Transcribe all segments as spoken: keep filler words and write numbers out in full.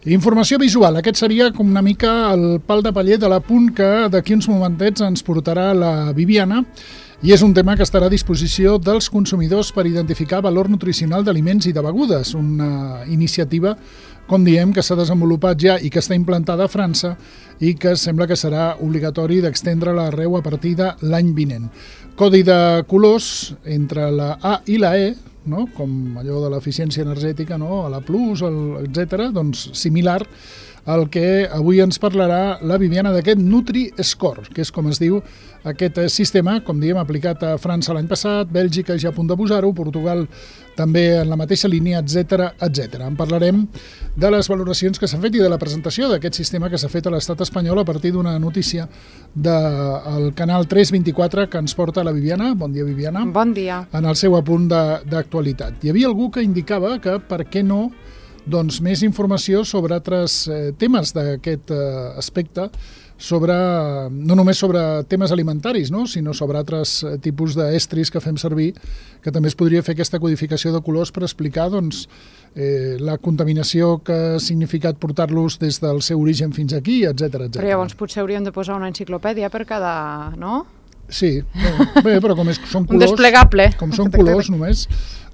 Informació visual, aquest seria com una mica el pal de paller de l'apunt que d'aquí uns momentets ens portarà la Viviana, i és un tema que estarà a disposició dels consumidors per identificar valor nutricional d'aliments i de begudes, una iniciativa, com diem, que s'ha desenvolupat ja i que està implantada a França i que sembla que serà obligatori d'extendre-la arreu a partir de l'any vinent. Codi de colors entre la A i la E, no? Com allò de l'eficiència energètica, no? A la Plus, etcètera, doncs similar al que avui ens parlarà la Viviana d'aquest Nutri-Score, que és com es diu aquest sistema, com diem, aplicat a França l'any passat, Bèlgica ja a punt de posar-ho, Portugal també en la mateixa línia, etcètera, etcètera. En parlarem de les valoracions que s'han fet i de la presentació d'aquest sistema que s'ha fet a l'estat espanyol a partir d'una notícia del canal tres vint-i-quatre que ens porta la Viviana. Bon dia, Viviana. Bon dia. En el seu apunt d'actualitat. Hi havia algú que indicava que per què no doncs més informació sobre altres eh, temes d'aquest eh, aspecte, sobre, no només sobre temes alimentaris, no? Sinó sobre altres eh, tipus d'estris que fem servir, que també es podria fer aquesta codificació de colors per explicar doncs, eh, la contaminació que ha significat portar-los des del seu origen fins aquí, etcètera, etcètera. Però llavors potser hauríem de posar una enciclopèdia per cada, no? Sí, bé, però com és, són colors... Un desplegable. Com són colors només,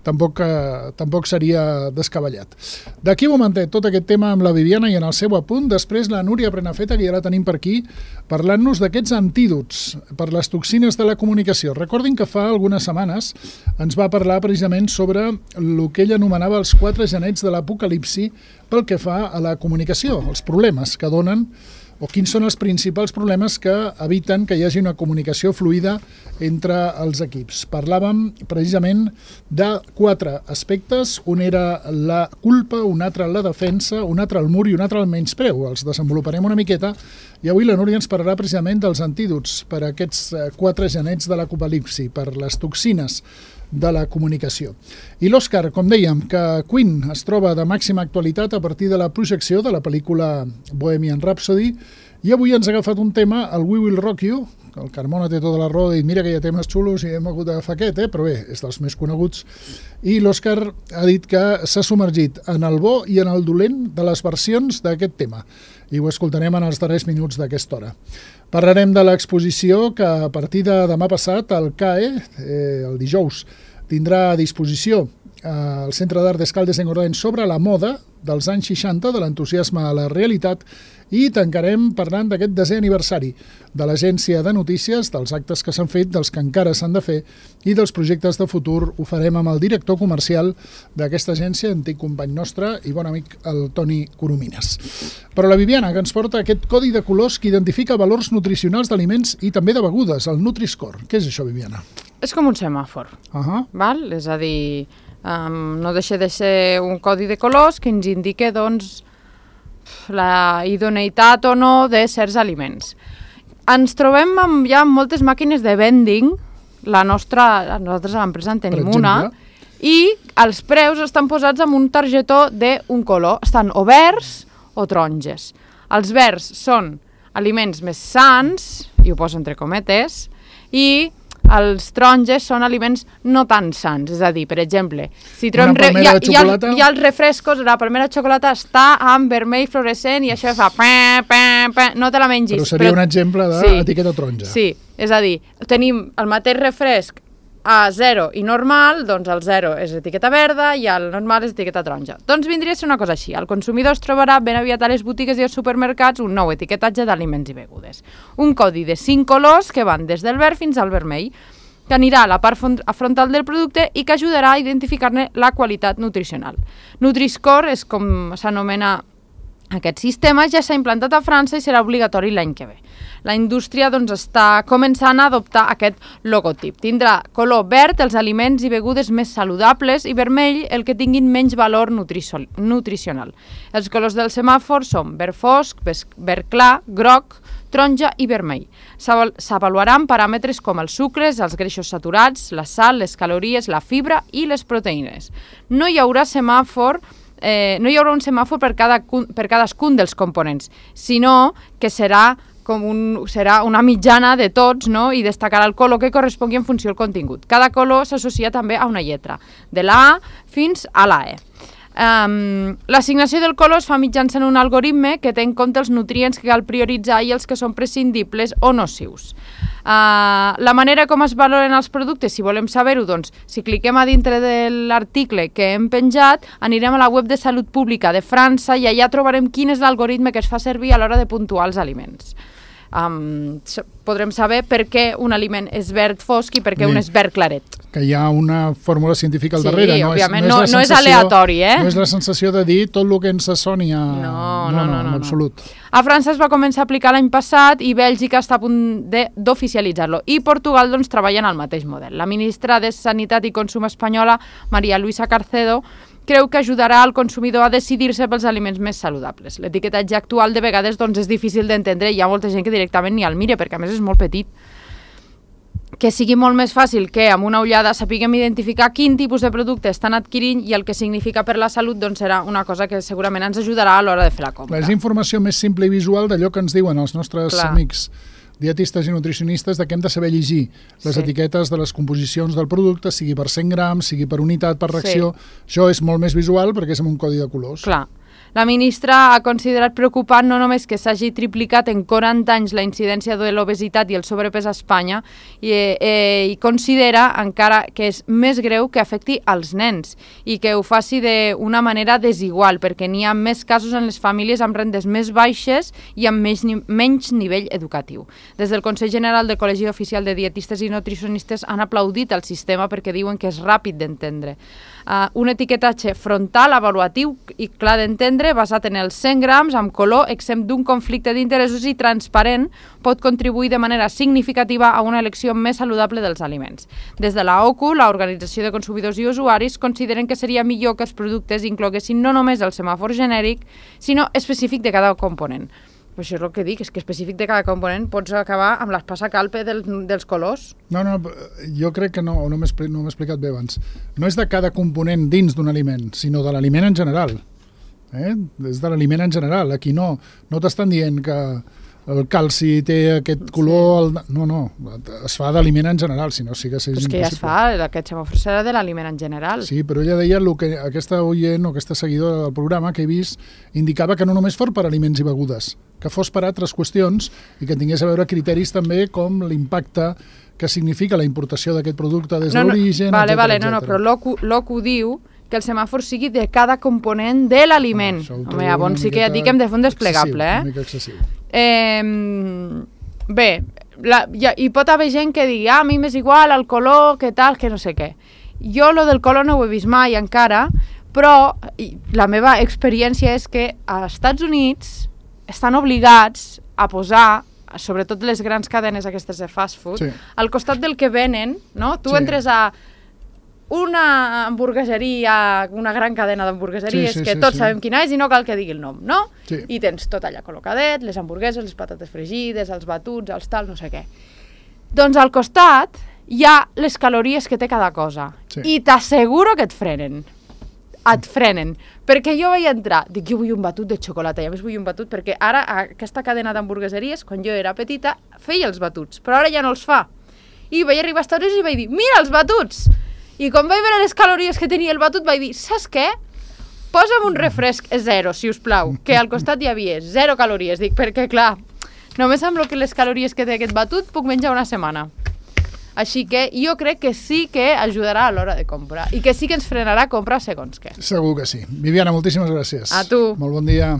tampoc, eh, tampoc seria descabellat. D'aquí un momentet, tot aquest tema amb la Viviana i en el seu apunt, després la Núria Prenafeta, que ja la tenim per aquí, parlant-nos d'aquests antídots per les toxines de la comunicació. Recordin que fa algunes setmanes ens va parlar precisament sobre el que ell anomenava els quatre genets de l'apocalipsi pel que fa a la comunicació, els problemes que donen o quins són els principals problemes que eviten que hi hagi una comunicació fluida entre els equips. Parlàvem precisament de quatre aspectes, un era la culpa, un altre la defensa, un altre el mur i un altre el menyspreu. Els desenvoluparem una miqueta i avui la Núria ens parlarà precisament dels antídots per a aquests quatre genets de l'apocalipsi, per les toxines de la comunicació. I l'Òscar, com dèiem, que Queen es troba de màxima actualitat a partir de la projecció de la pel·lícula Bohemian Rhapsody, i avui ens ha agafat un tema, el We Will Rock You, el Carmona té tota la raó i mira que hi ha temes xulos i hem hagut d'agafar aquest, eh? Però bé, és dels més coneguts, i l'Òscar ha dit que s'ha submergit en el bo i en el dolent de les versions d'aquest tema, i ho escoltarem en els darrers minuts d'aquesta hora. Parlarem de l'exposició que a partir de demà passat el C A E, eh, el dijous, tindrà a disposició al Centre d'Art d'Escaldes Engordany sobre la moda dels anys seixanta, de l'entusiasme a la realitat, i tancarem parlant d'aquest desè aniversari de l'agència de notícies, dels actes que s'han fet, dels que encara s'han de fer i dels projectes de futur. Ho farem amb el director comercial d'aquesta agència, antic company nostre i bon amic, el Toni Coromines. Però la Viviana, que ens porta aquest codi de colors que identifica valors nutricionals d'aliments i també de begudes, el Nutri-Score. Què és això, Viviana? És com un semàfor, uh-huh. val? És a dir, um, no deixa de ser un codi de colors que ens indica, doncs, la idoneïtat o no de certs aliments. Ens trobem amb, ja amb moltes màquines de vending, la nostra, nosaltres a l'empresa en tenim una, i els preus estan posats amb un targetó d'un color, estan o verds o taronges. Els verds són aliments més sans, i ho poso entre cometes, i els taronges són aliments no tan sans, és a dir, per exemple, si trobem re... hi, ha, hi, ha, hi ha els refrescos, la primera xocolata està amb vermell fluorescent i això fa pe, pe, pe, no te la mengis. Però seria però... un exemple d'etiqueta sí, taronja. Sí, és a dir, tenim el mateix refresc a zero i normal, doncs el zero és etiqueta verda i el normal és etiqueta taronja. Doncs vindria a ser una cosa així, el consumidor es trobarà ben aviat a les botigues i als supermercats un nou etiquetatge d'aliments i begudes. Un codi de cinc colors que van des del verd fins al vermell, que anirà a la part frontal del producte i que ajudarà a identificar-ne la qualitat nutricional. Nutri-Score és com s'anomena aquest sistema, ja s'ha implantat a França i serà obligatori l'any que ve. La indústria doncs, està començant a adoptar aquest logotip. Tindrà color verd els aliments i begudes més saludables i vermell el que tinguin menys valor nutricional. Els colors del semàfor són verd fosc, verd clar, groc, taronja i vermell. S'avaluaran paràmetres com els sucres, els greixos saturats, la sal, les calories, la fibra i les proteïnes. No hi haurà semàfor Eh, no hi haurà un semàfor per, cada, per cadascun dels components, sinó que serà, com un, serà una mitjana de tots, no? I destacarà el color que correspongui en funció del contingut. Cada color s'associa també a una lletra, de la A fins a la E. Um, L'assignació del color es fa mitjançant un algoritme que té en compte els nutrients que cal prioritzar i els que són prescindibles o nocius. Uh, la manera com es valoren els productes, si volem saber-ho, doncs, si cliquem a dintre de l'article que hem penjat, anirem a la web de Salut Pública de França i allà trobarem quin és l'algoritme que es fa servir a l'hora de puntuar els aliments. Um, podrem saber per què un aliment és verd fosc i per què sí. un és verd claret. Que hi ha una fórmula científica al sí, darrere. Sí, no òbviament, és, no, no, és no és aleatori, eh? No és la sensació de dir tot el que ens soni a... No, no, no, no, no, en absolut. A França es va començar a aplicar l'any passat i Bèlgica està a punt d'oficialitzar-lo. I Portugal, doncs, treballa en el mateix model. La ministra de Sanitat i Consum espanyola, María Luisa Carcedo, creu que ajudarà al consumidor a decidir-se pels aliments més saludables. L'etiquetatge actual de vegades doncs, és difícil d'entendre i hi ha molta gent que directament ni el mira perquè a més és molt petit. Que sigui molt més fàcil que amb una ullada sapiguem identificar quin tipus de producte estan adquirint i el que significa per la salut doncs serà una cosa que segurament ens ajudarà a l'hora de fer la compra. És informació més simple i visual d'allò que ens diuen els nostres Clar. amics dietistes i nutricionistes de que hem de saber llegir les sí. etiquetes de les composicions del producte, sigui per cent grams, sigui per unitat, per ració. Sí. Això és molt més visual perquè és amb un codi de colors. Clar. La ministra ha considerat preocupant no només que s'hagi triplicat en quaranta anys la incidència de l'obesitat i el sobrepès a Espanya i, eh, i considera encara que és més greu que afecti als nens i que ho faci d'una manera desigual perquè n'hi ha més casos en les famílies amb rendes més baixes i amb menys, menys nivell educatiu. Des del Consell General del Col·legi Oficial de Dietistes i Nutricionistes han aplaudit el sistema perquè diuen que és ràpid d'entendre. Uh, un etiquetatge frontal, avaluatiu i clar d'entendre, basat en els cent grams, amb color, exempt d'un conflicte d'interessos i transparent, pot contribuir de manera significativa a una elecció més saludable dels aliments. Des de la O C U, l'Organització de Consumidors i Usuaris, consideren que seria millor que els productes incloguessin no només el semàfor genèric, sinó específic de cada component. Però això és el que dic, és que específic de cada component pots acabar amb l'espasa-calpe del, dels colors. No, no, jo crec que no, no m'he no explicat bé abans. No és de cada component dins d'un aliment, sinó de l'aliment en general. Eh? És de l'aliment en general. Aquí no, no t'estan dient que el calci té aquest color... Sí. El... No, no, es fa d'aliment en general, si no sí que és impossible. Però és que ja es fa, aquest semàfor serà de l'aliment en general. Sí, però ella deia el que aquesta oient o aquesta seguidora del programa que he vist indicava que no només fos per aliments i begudes, que fos per altres qüestions i que tingués a veure criteris també com l'impacte que significa la importació d'aquest producte des de no, no, l'origen, vale, etcètera, vale, no, no, però l'O C U diu que el semàfor sigui de cada component de l'aliment. Ah, Home, llavors sí que ja dic que hem de fer un desplegable, eh? Una mica excessiu. Eh, bé, la, ja, hi pot haver gent que digui ah, a mi m'és igual el color, que tal, que no sé què. Jo lo del color no ho he vist mai encara, però la meva experiència és que als Estats Units estan obligats a posar, sobretot les grans cadenes aquestes de fast food, sí. al costat del que venen, no? Tu sí. entres a una hamburgueseria, una gran cadena d'hamburgueseries, sí, sí, que tots sí, sabem sí. quina és i no cal que digui el nom, no? Sí. I tens tot allà col·locadet, les hamburgueses, les patates fregides, els batuts, els tal, no sé què. Doncs al costat hi ha les calories que té cada cosa. Sí. I t'asseguro que et frenen. Et frenen. Perquè jo vaig entrar, dic, jo vull un batut de xocolata, i a més vull un batut perquè ara aquesta cadena d'hamburgueseries, quan jo era petita, feia els batuts, però ara ja no els fa. I vaig arribar a Estats Units i vaig dir, mira els batuts! I quan vaig veure les calories que tenia el batut, vaig dir, saps què? Posa'm un refresc zero, si us plau, que al costat hi havia zero calories. Dic, perquè clar, només amb que les calories que té aquest batut puc menjar una setmana. Així que jo crec que sí que ajudarà a l'hora de comprar i que sí que ens frenarà a comprar segons què. Segur que sí. Viviana, moltíssimes gràcies. A tu. Molt bon dia.